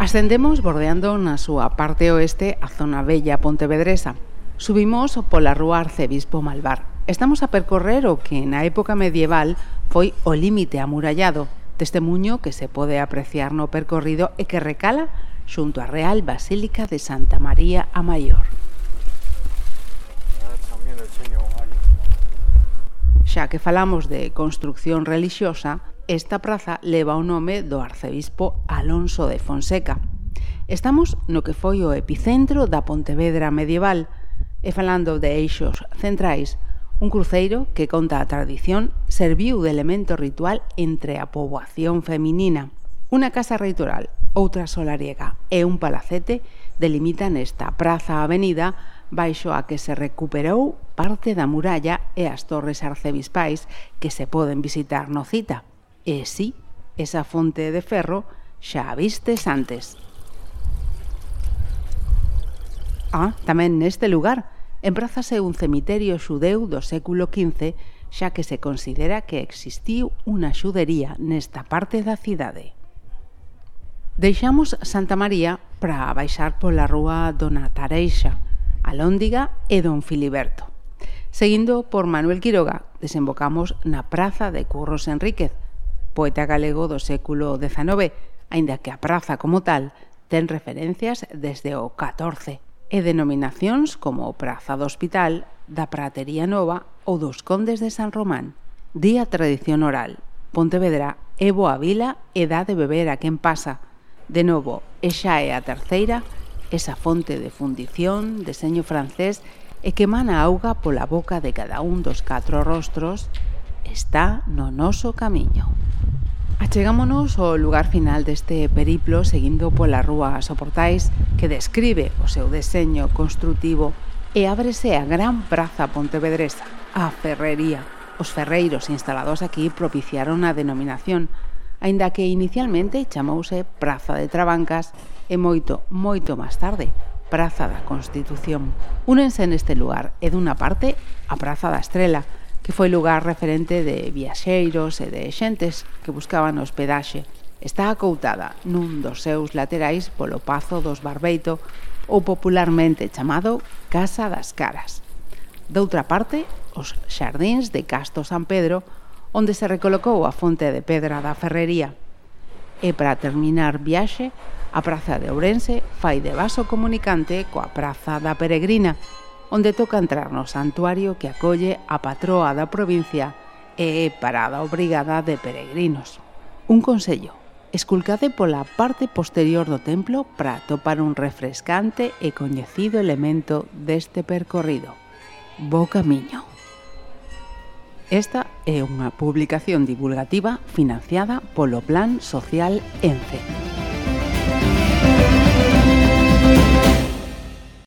Ascendemos bordeando na súa parte oeste a zona bella pontevedresa. Subimos pola rúa Arcebispo Malvar. Estamos a percorrer o que na época medieval foi o límite amurallado, testemuño que se pode apreciar no percorrido e que recala xunto á Real Basílica de Santa María a Maior. Xa que falamos de construcción relixiosa, esta praza leva o nome do arcebispo Alonso de Fonseca. Estamos no que foi o epicentro da Pontevedra medieval e falando de eixos centrais, un cruceiro que conta a tradición serviu de elemento ritual entre a poboación feminina. Unha casa reitoral, outra solariega e un palacete delimitan esta praza-avenida baixo a que se recuperou parte da muralla e as torres arcebispais que se poden visitar no Cita. E si, esa fonte de ferro xa a vistes antes. Tamén neste lugar emprázase un cemiterio xudeu do século XV, xa que se considera que existiu unha xudería nesta parte da cidade. Deixamos Santa María para baixar pola rúa Dona Tareixa, Alóndiga e Don Filiberto. Seguindo por Manuel Quiroga, desembocamos na Praza de Curros Enríquez, poeta galego do século XIX, aínda que a praza como tal ten referencias desde o XIV e denominacións como Praza do Hospital, da Pratería Nova ou dos Condes de San Román. Día tradición oral, Pontevedra é boa vila e dá de beber a quen pasa. De novo, e xa é a terceira, esa fonte de fundición, deseño francés e que emana auga pola boca de cada un dos 4 rostros, está no noso camiño. Achegámonos ao lugar final deste periplo seguindo pola rúa Soportais, que describe o seu deseño construtivo, e ábrese a gran praza pontevedresa, a Ferrería. Os ferreiros instalados aquí propiciaron a denominación, aínda que inicialmente chamouse Praza de Trabancas e moito máis tarde, Praza da Constitución. Únense neste lugar e dunha parte a Praza da Estrela, que foi lugar referente de viaxeiros e de xentes que buscaban hospedaxe. Está acoutada nun dos seus laterais polo Pazo dos Barbeito, ou popularmente chamado Casa das Caras. Doutra parte, os xardíns de Casto San Pedro, onde se recolocou a fonte de pedra da Ferrería. E para terminar viaxe, a Praza de Ourense fai de vaso comunicante coa Praza da Peregrina, onde toca entrar no santuario que acolle a patroa da provincia e é parada obrigada de peregrinos. Un consello, esculcade pola parte posterior do templo para atopar un refrescante e coñecido elemento deste percorrido. Bo camiño. Esta é unha publicación divulgativa financiada polo Plan Social ENCE.